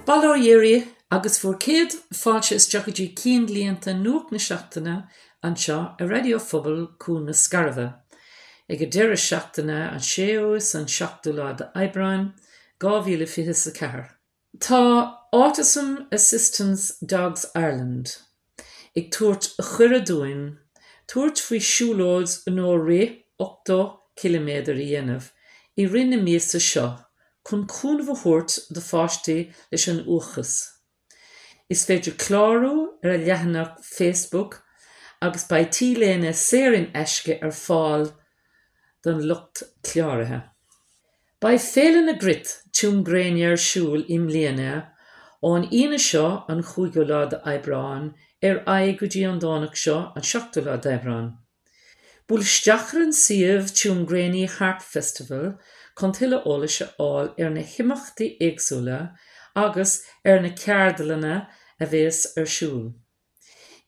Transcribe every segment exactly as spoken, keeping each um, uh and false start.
Bail ó Dhia oraibh agus bhur gcéad fáilte isteach go dtí Cinnlíonta Nuacht na Seachtaine anseo ar Raidió Phobail Cuan na Scairbhe ag an deireadh seachtaine an séú is an seachtú lá d'Aibreán dhá mhíle fiche is a ceathair. Tá Autism Assistance Dogs Ireland ag tabhairt cuireadh dúinn tabhairt faoi siúlóid nó rith ochtó ciliméadar a dhéanamh i rith na míosa seo chun cúnamh a thabhairt do pháistí leis an uathachas. Is féidir clárú ar a leathanach Facebook agus beidh t-léine saor in aisce ar fáil don lucht cláraithe. Beidh Féile na gCruit Tuaim Gréine ar siúl i mbliana ón Aoine seo an cúigiú lá d'Aibreán ar aghaidh go dtí an Domhnach seo an seachtú lá d'Aibreán. Buail isteach ar an suíomh Tuamgraney Harp Festival chun tuilleadh eolais a fháil ar na himeachtaí éagsúla agus ar na ceardlanna a bheas ar siúl.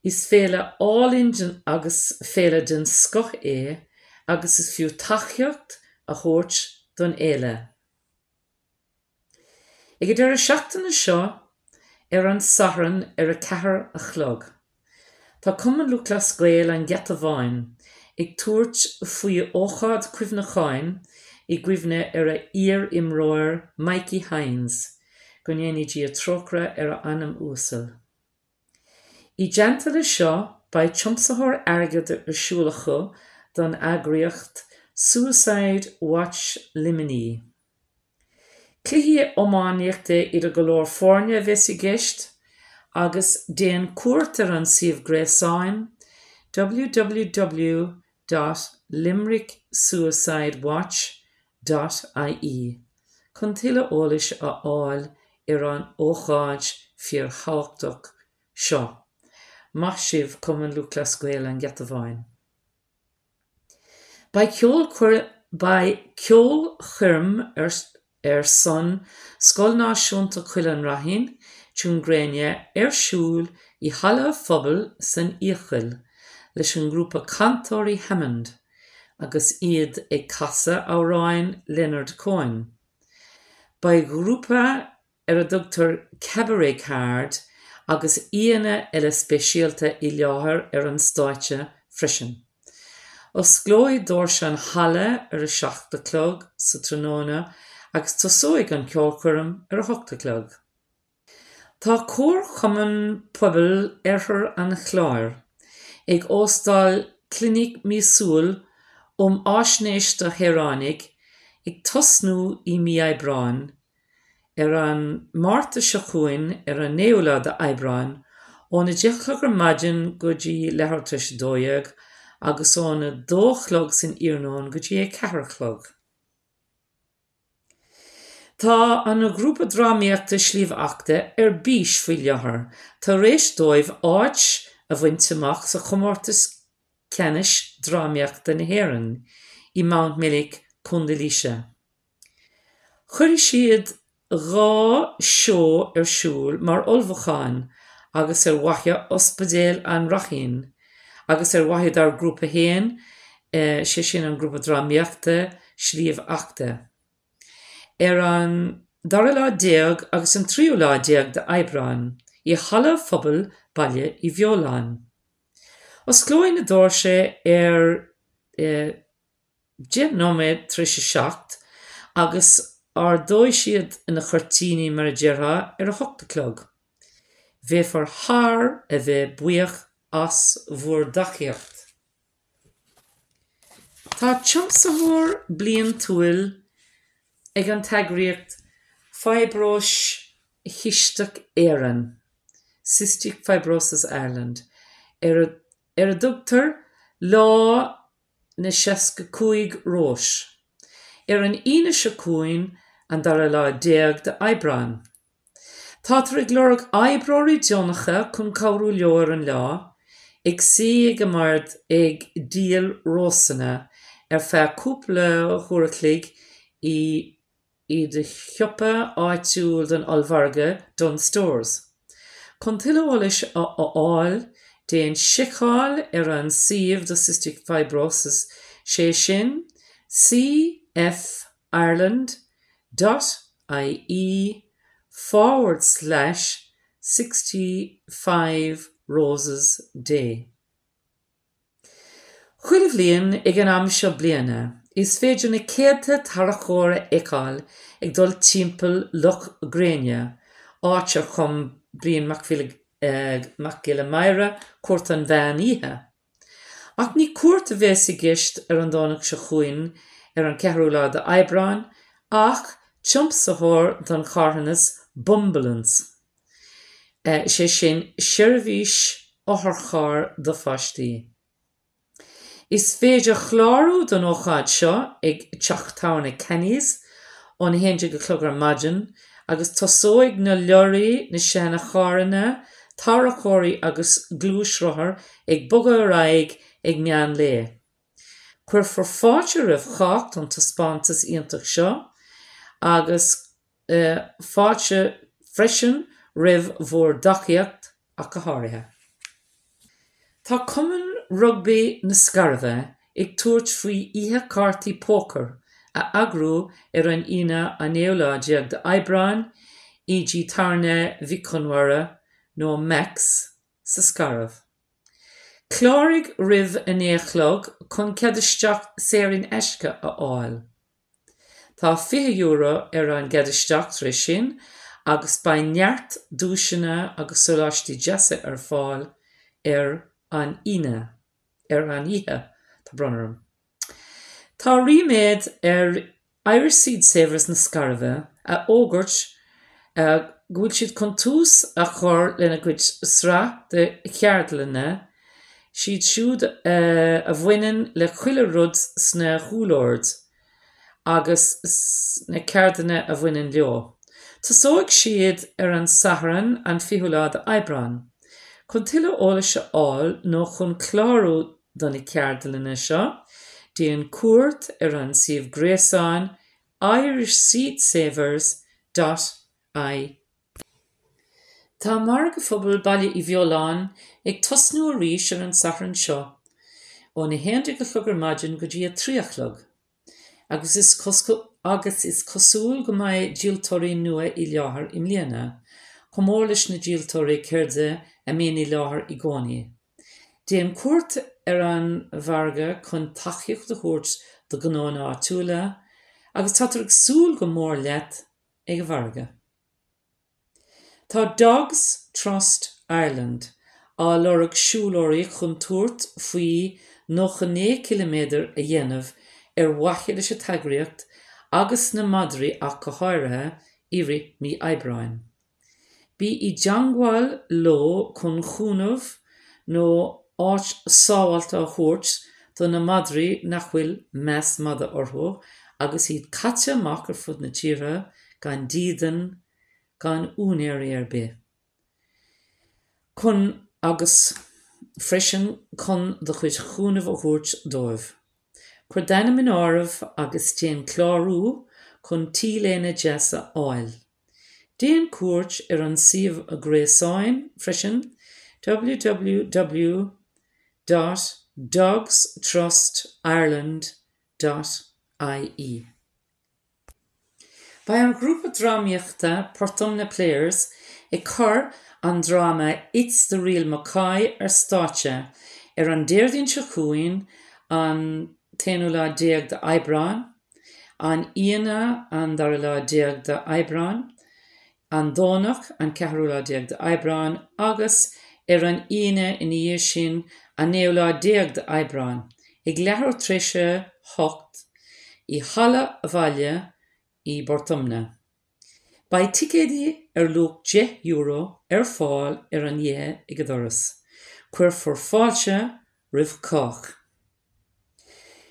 Is féile álainn agus féile den scoth é agus is fiú tacaíocht a thabhairt don fhéile. Ag an deireadh seachtaine seo ar an Satharn ar a ceathair a chlog. Tá Cumann Lúthchleas Gael an Gheata Bháin ag tabhairt faoi ócáid cuimhneacháin i gcuimhne ar a iar-imreoir Mikey Hynes, go ndéana Dia trócaire ar a anam uasal. I dteannta leis seo beidh tiomsaitheoir airgid ar siúl acu don eagraíocht Suicide Watch Luimnigh. Cluichí iománaíochta idir go leor foirne a bheas i gceist agus déan cuairt ar an suíomh gréasáin www dot limericksuicidewatch dot ie chun tuilleadh eolais a fháil ar an ócáid fíorthábhachtach seo. Maith sibh Cumann Lúthchleas Gael an Gheata Bháin. Beidh Beidh ceolchoirm ar ar son Scoil Náisiúnta Choill an Ráithín, Tuaim Gréine, ar siúl i Halla Phobail san Fhiacail leis an ngrúpa Cantóirí Hammond agus iad ag casadh amhráin Leonard Cohen. Beidh grúpa ar a dtugtar Cabaret Card agus aíonna eile speisialta i láthair ar an stáitse freisin. Osclóidh doirse an halla ar a seacht a chlog sa tráthnóna agus tosóidh an ceolchoirm ar a hocht a chlog. Tá Comharchumann Pobail Oirthear an Chláir ag óstáil clinic míosúil um fhaisnéis do shaoránaigh ag tosnú i mí Aibreáin ar an Márta seo chugainn ar an naoú lá d'Aibreán óna deich a chlog ar maidin go dtí leathuair tar éis a dó dhéag agus óna dó a chlog san iarnóin go dtí a ceathair a chlog. Tá an grúpa drámaíochta Sliabh Eachta ar bís faoi láthair tar éis dóibh áit a bhaint amach sa chomórtas ceannais drámaíochta na hÉireann i Mountmellick, Contae Laoise. Cuirfidh siad dhá seó ar siúl mar ullmhúchán agus ar mhaithe Ospidéal an Ráithín agus ar mhaithe dár grúpa féin, sé sin an grúpa drámaíochta Sliabh Eachta. Ar an dara lá déag agus an tríú lá déag d'Aibreán i Halla Phobail Baile Uí Bheoláin. Osclóidh na doirse ar deich nóiméad tar éis a seacht agus ardóidh siad na cuirtíní mar a déarfá ar a hocht a chlog. Bheifear thar a bheith buíoch as bhur dtacaíocht. Tá tiomsaitheoir bliantúil ag an t-eagraíocht Fiobróis Chisteach Éireann, Cystic Fibrosis Ireland, ar ar a dtugtar Lá na Seasca Cúig Rós, ar an Aoine seo chugainn an dara lá déag d'Aibreán. Táthar ag lorg oibreoirí deonacha chun cabhrú leo ar an lá, ag suí ag an mbord ag díol rósanna ar feadh cúpla uair a chloig i i do shiopa áitiúil don ollmhargadh Dunnes Stores. Chun tuilleadh eolais a fháil, déan seiceáil ar an suíomh do Cystic Fibrosis, sé sin cfireland dot ie forward slash sixty five roses day. Chuile bhliain ag an am seo bliana, is féidir na céadta tarracóir a fheiceáil ag dul timpeall Loch Gréine, áit ar chum Brian Mac Mac Giolla Mháire Cúirt an Mheán Oíche. Ach ní cúirt a bheas i gceist ar an Domhnach seo chugainn ar an ceathrú lá d'Aibreán, ach tiomsaitheoir don charthanas Bumbleance, sé sin seirbhís otharchairr do pháistí. Is féidir clárú don ócáid seo ag Teach Tábhairne Kenny's ón a haon déag a chlog ar maidin agus tosóidh na leoraí, na seancharranna, tarracóirí agus gluaisrothair ag bogadh ar aghaidh ag meán lae. Cuirfear fáilte roimh chách don taispeántas iontach seo agus fáilte freisin roimh bhur dtacaíocht ach go háirithe. Tá Cumann Rugbaí na Scairbhe ag tabhairt faoi oíche cártaí pócair a eagrú ar an Aoine an naoú lá déag d'Aibreán i dTigh Tábhairne Mhic Conmara nó Macs sa Scairbh. Cláraigh roimh a naoi a chlog chun cead isteach saor in aisce a fháil. Tá fiche euro ar an gcead isteach tar éis sin agus beidh neart duaiseanna agus sóláistí deasa ar fáil ar an Aoine, ar an oíche, tá brón orm. Tá ríméad ar Irish Seed Savers na Scairbhe a fhógairt go bhfuil siad chun tús a chur lena gcuid sraith de cheardlanna, siad siúd a bhaineann le chuile rud sna húlloird agus na ceardanna a bhaineann leo. Tosóidh siad ar an Satharn an fichiú lá d'Aibreán. Chun tuilleadh eolais a fháil nó chun clárú do na ceardlanna seo, déan cuairt ar an suíomh gréasáin irishseedsavers dot ie. Tá Margadh Phobail Baile Uí Bheoláin ag tosnú arís ar an Satharn seo ón a haon déag a chlog ar maidin go dtí a trí a chlog. Agus is agus is cosúil go mbeidh díoltóirí nua i láthair i mbliana, chomh mór leis na díoltóirí ceirde a mbíonn i láthair i gcónaí. Déan cuairt ar an mhargadh chun tacaíocht a thabhairt do ghnónna áitiúla agus táthar ag súil go mór leat ag an mhargadh. Tá Dogs Trust Ireland á lorg siúlóirí chun tabhairt faoi nócha naoi ciliméadar a dhéanamh ar mhaithe leis an t-eagraíocht agus na madraí ach go háirithe i rith mí Aibreáin. Bí i dteagmháil leo chun cúnamh nó áit sábháilte a thabhairt do na madraí nach bhfuil meas madaidh orthu agus iad caite amach ar fud na tíre gan dídean, gan úinéirí ar bith. Chun agus freisin chun do chuid chúnaimh a thabhairt dóibh. Cuir d'ainm in áirithe agus déan clárú chun T-léine deas a fháil. Déan cuairt ar an suíomh gréasáin freisin www dot dogstrustireland dot ie. Beidh an grúpa drámaíochta Portumna Players ag cur an dráma It's the Real McCoy ar stáitse ar an Déardaoin seo chugainn an t-aonú lá déag d'Aibreán, an Aoine an dara lá déag d'Aibreán, an Domhnach an ceathrú lá déag d'Aibreán agus ar an Aoine ina dhiaidh sin an naoú lá déag d'Aibreán, ag leathuair tar éis a hocht i Halla Bhaile i bPort Omna. Beidh ticéidí ar luach deich euro ar fáil ar an oíche ag an doras. Cuirfear fáilte roimh chách.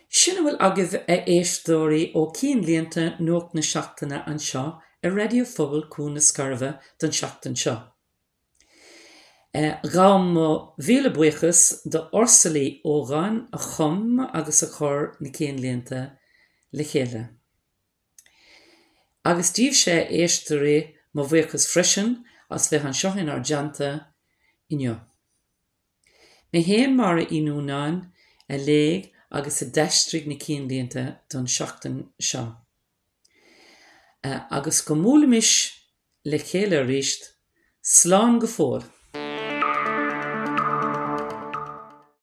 Sin a bhfuil agaibh a éisteoirí ó Cinnlínte Nuacht na Seachtaine anseo ar Raidió Phobail Cuan na Scairbhe don seachtain seo. Gabhaim mo mhíle buíochas do Ursula Uí Ógáin a chum agus a chuir na cinnlínte le chéile. Agus daoibhse a éisteoirí mo bhuíochas freisin as bheith anseo inár dteannta inniu. Mé féin Máire Uí Nuanáin a léigh agus a d'aistrigh na cinnlínte don seachtain seo. Agus go mbuailfimis le chéile arís, slán go fóill.